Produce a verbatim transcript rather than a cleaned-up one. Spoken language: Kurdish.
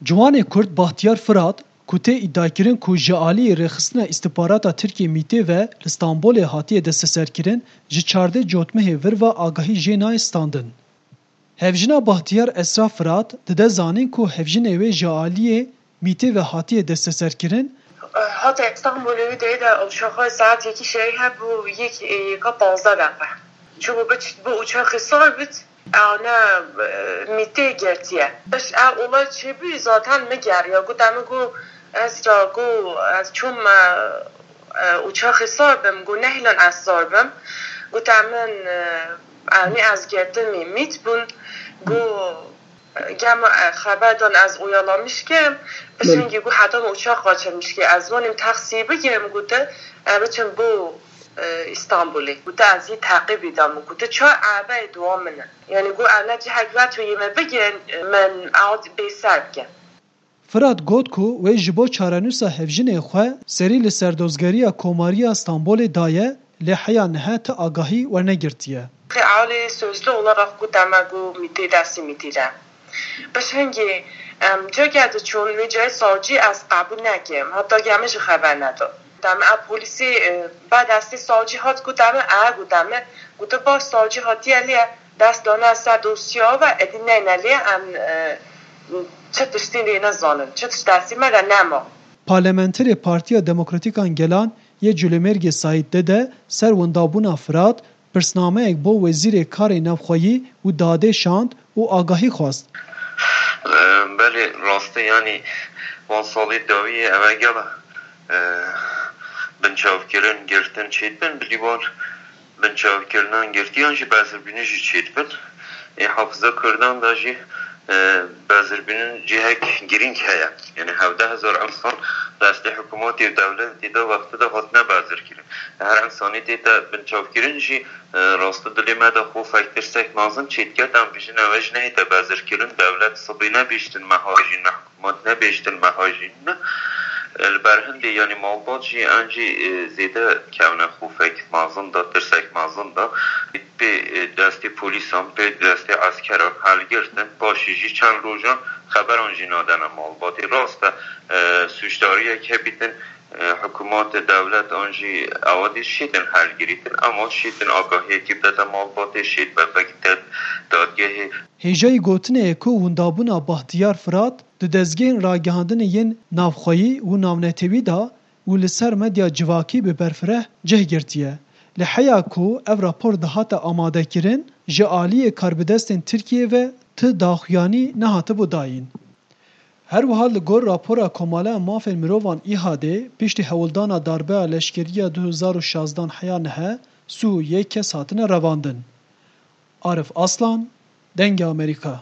Ciwanê Kurd Bahtiyar Firat, ku tê îdiakirin ku ji aliyê Rêxistina Îstixbarata Tirkiyê, MÎT'ê ve li Stenbolê hatiye desteserkirin, ji çardeh Cotmehê vir ve agahî jê nayê standin. Hevjina Bahtiyar Esra Firat dide zanîn ku hevjinê wê ji aliyê MÎT'ê ve hatiye desteserkirin. Hate Stenbolê wî deyê de uçaxa saet yekî şevê hebû, yek, e, yeka panzdeh deqe. Çûbû biçit bo uçaxê sar bit, ew ne, e, MÎT'ê girtiye. Biş ev olay çêbû, zaten min geriya. Gote min, got, ez ra, got, ez çûm, e, e, uçaxê sar bim, got, nehêlan ez sar bim. Gote min, e, ewnî ez girtimî, MÎT bûn. Got, gema, e, xeber dan ez oyalamiş kim. Belê. Pişingî got, heta min uçax qaçirmiş ki, ez wanîm taksî bigim, gote, e, biçim bo, e, Îstanbulê. Gote, ez yî teqîbî da min. Gote, ça ebe dua min e. Yani got, ew ne cihek ve tu yê me bigin, min ew bêser bikin. Firat got ku wê ji bo çarenûsa hevjinê xwe serî li serdozgeriya Komariya Stenbolê daye, lê heya niha ti agahî wernegirtiye. Alî sözlü olarak gote me, got, MÎT'ê, destê MÎT'ê de. Pişingî, em, cihekê diçûn, wê cihê savcî ez qebûl nekim, heta ge min jî xeber nedo. Gote me, ev polîsê, e, be destê savcî hat, gote me, e, gote me, gote baş, savcî hatiye lê dest dane ser dosya ve, êdî neyne lê em, e, çi tiştî lê nizanin, çi tişt destê me de nema. Parlamenterê Partiya Demokratîk a Gelan yê Colemêrgê Saîd Dede ser windabûna Firat pirsnameyek bo Wezîrê Karê Navxweyî û Dadê şand û agahî xwest. Belê, rast e, yanî van salê dawî ev e gela, e, binçavkirin, girtin çêdibin, bilî van binçavkirinan girtiyan jî bezirbînin jî çêdibin. Ê hafiza Kurdan de jî, e, bezirbînin cihek girîng heye. Yanî hevdeh hezar insan destê hikûmetê û dewletê de wextê de hatine bezirkirin. Her insanî tête binçavkirin jî, e, rastî dilê me de xofek, tirsek mezin çêdiket, em bijîn ew e jî nehête bezirkirin, dewlet sibê nebihîştin me hajîn me, hikûmet nebihîştin me hajîn me. E, li ber hindê, yanî malbat jî, em jî, e, zêde kevne xofek mezin de, tirsek mezin de. Pê, e, destê polîsan, pê destê eskeran helgirtin, paşê jî çend rojan xeberan jî nadene malbatê. Rast e, e, sûcdariyek hebîtin, e, hikûmet, dewlet an jî ewa dî şîtin helgirîtin, ema şîtin agahiyekî bidete malbatê, şît bevekî te dadgehê. Hêjayî gotinê ye ku windabûna Bahtiyar Firat di dezgehên ragihandinê yên navxweyî û navnetewî de û li ser medya civakî bi berfireh cih girtiye. Li heya ku ev rapor dihate amadekirin, ji aliyê karbidestên Tirkiyê ve ti daxuyanî nehatibû dayîn. Her wiha li gor rapora Komaleya Mafên Mirovan, ÎHDê, piştî hewldana darbeya leşkerî ya du hezar û şazdan heya niha sî û yek kes hatine revandin. Arif Aslan, Dengê Amerîka.